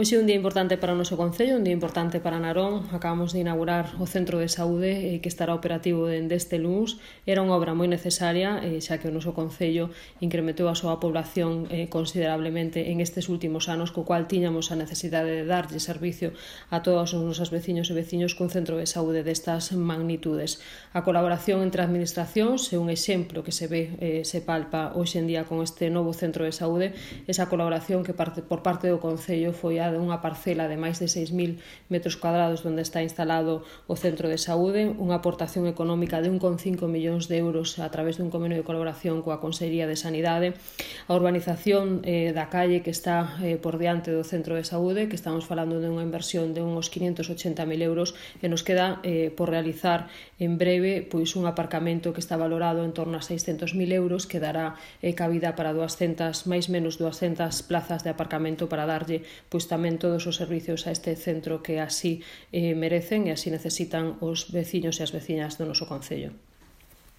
Hoxe é un día importante para o noso concello, un día importante para Narón. Acabamos de inaugurar o Centro de Saúde que estará operativo dende este luns. Era unha obra moi necesaria, xa que o noso concello incrementou a súa población considerablemente en estes últimos anos, co cual tiñamos a necesidade de darlle servicio a todos os nosos veciños e veciños cun centro de saúde destas magnitudes. A colaboración entre administracións é un exemplo que se ve, se palpa hoxe en día con este novo centro de saúde. Esa colaboración que por parte do concello foi a de unha parcela de máis de 6.000 metros cuadrados onde está instalado o centro de saúde, unha aportación económica de 1,5 millóns de euros a través dun convenio de colaboración coa Consellería de Sanidade, a urbanización da calle que está por diante do centro de saúde, que estamos falando de unha inversión de uns 580.000 euros, e nos queda por realizar en breve pois un aparcamento que está valorado en torno a 600.000 euros, que dará cabida para máis menos 200 plazas de aparcamento para darlle pois tamén todos os servicios a este centro que así merecen e así necesitan os veciños e as veciñas do noso concello.